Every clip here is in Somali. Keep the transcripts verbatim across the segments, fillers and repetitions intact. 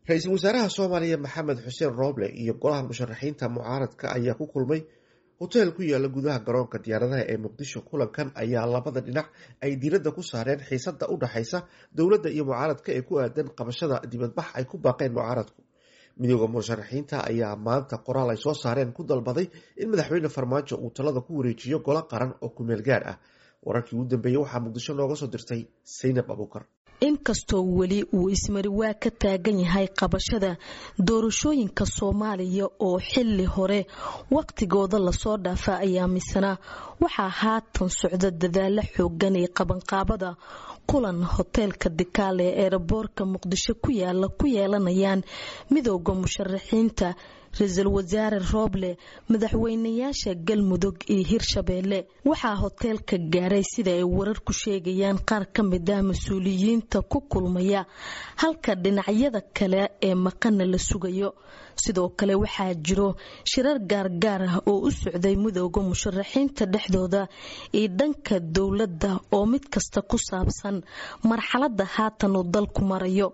Ra-iisul wasaaraha Soomaaliya Maxamed Xuseen Rooble iyo golaha musharaxiinta mucaaradka ayaa ku kulmay hoteel ku yaala gudaha garoonka diyaaradaha ee Muqdisho. Kulankan ayaa labada dhinac ay diiradda ku saareen xiisada u dhaxaysa dowladda iyo mucaaradka ee ku aadan qabashada dibadbax ay ku baaqeen mucaaradku. Midooda musharaxiinta ayaa maanta qoraal ay soo saareen ku dalbaday in madaxweyne Farmaajo uu talada ku wareejiyo golo qaran oo kumeel gaar ah. Wararkii ugu dambeeyey waxaa Muqdisho nooga soo dirtay Saynab Abuukar. Inkastoo weli uu ismariwaa ka taagan yahay qabashada doorashooyinka Soomaaliya oo xili hore waqtigooda lasoo dhaafa, ayaa misana waxaa haatan socda dadaalo xoogan ee qabanqaabada kulan hoteelka Dikaale ee eeraboorka Muqdisho ku yaala ku yeelanayaan midooda musharaxiinta, ra-iisul wasaare Rooble, madaxweynayaasha Galmudug iyo Hirshabeelle. Waxaa hoteelka gaaray, sida ay wararku sheegayaan, qaar ka mid ah mas-uuliyiinta ku kulmaya, halka dhinacyada kale ee maqana la sugayo. Sidoo kale waxaa jiro shirar gaargaar ah oo u socday midooda musharaxiinta dhexdooda iyo dhanka dowladda oo mid kasta ku saabsan marxalada haatan uu dalku marayo.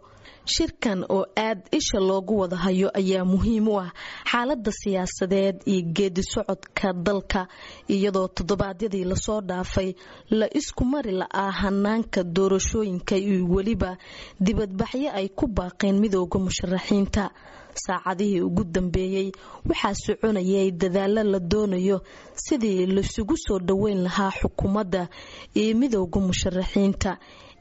Shirkan oo aad isha loogu wada hayo ayaa muhiim u ah xaalada siyaasadeed iyo geedi socodka dalka, iyadoo toddobaadyadii lasoo dhaafay la isku mari la'aa hanaanka doorashooyinka iyo weliba dibadbaxyo ay ku baaqeen midooda musharaxiinta. Saacadihii ugu dambeeyey waxaa soconayay dadaalo la doonayo sidii laisugu soo dhoweyn lahaa xukuumadda iyo midooda musharaxiinta,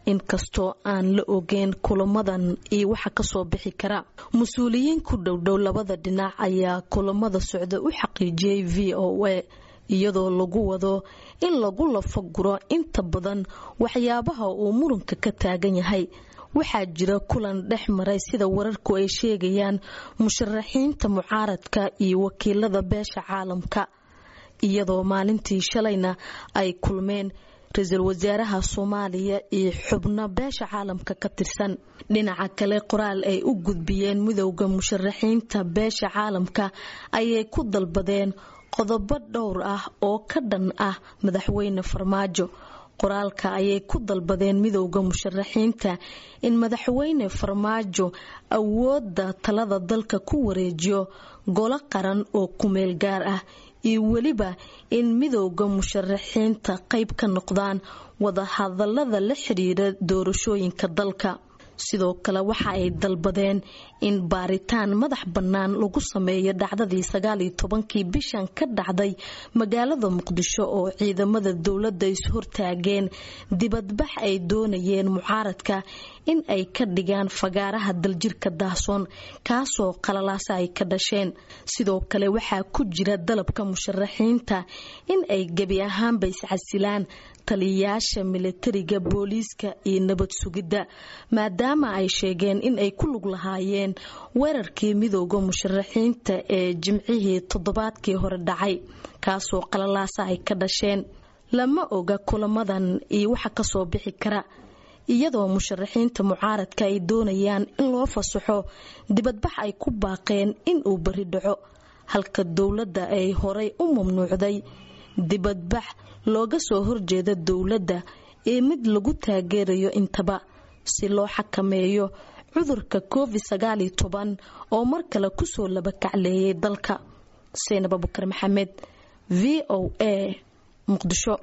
inkastoo aan la ogeyn kulamadan iyo waxa kasoo bixi kara. Mas-uuliyiin ku dhowdhow labada dhinac ayaa kulamada socda u xaqiijiyey V O A, iyadoo lagu wado in lagu lafaguro inta badan waxyaabaha uu muranka ka taagan yahay. Waxaa jira kulan dhex maray, sida wararku ay sheegayaan, musharaxiinta mucaaradka iyo wakiilada beesha caalamka, iyadoo maalintii shalayna ay kulmeen ra-iisul wasaaraha Soomaaliya iyo xubno beesha caalamka ka tirsan. Dhinaca kale, qoraal ay u gudbiyeen midowda musharaxiinta beesha caalamka ayay ku dalbadeen qodobo dhowr ah oo ka dhan ah madaxweyne Farmaajo. Qoraalka ayay ku dalbadeen midowda musharaxiinta in madaxweyne Farmaajo awoodda talada dalka ku wareejiyo golo qaran oo kumeel gaar ah, iyo weliba in midowda musharaxiinta qayb ka noqdaan wadahadalada la xiriira doorashooyinka dalka. Sidoo kale waxa ay dalbadeen in baaritaan madax bannaan lagu sameeyo dhacdadii sagaaliyo tobankii bishan ka dhacday magaalada Muqdisho oo ciidamada dowladda is-hortaageen dibadbax ay doonayeen mucaaradka in ay ka dhigaan fagaaraha Daljirka Daahsoon, kaasoo qalalaasa ay ka dhasheen. Sidoo kale waxaa ku jira dalabka musharaxiinta in ay gebi ahaanba iscasilaan taliyayaasha militariga, booliiska iyo nabad sugidda, maadaama ay sheegeen in ay ku lug lahaayeen weerarkii midooda musharaxiinta ee jimcihii toddobaadkii hore dhacay, kaasoo qalalaasa ay ka dhasheen. Lama oga kulamadan iyo waxa kasoo bixi kara, iyadoo musharaxiinta mucaaradka ay doonayaan in loo fasaxo dibadbax ay ku baaqeen in uu beri dhaco, halka dowladda ay horay u mamnuucday dibadbax looga soo horjeeda dowladda ee mid lagu taageerayo intaba, si loo xakameeyo cudurka Covid sagaaliyo toban oo mar kale kusoo labakacleeyay dalka. Saynab Abukar Maxamed, V O A, Muqdisho.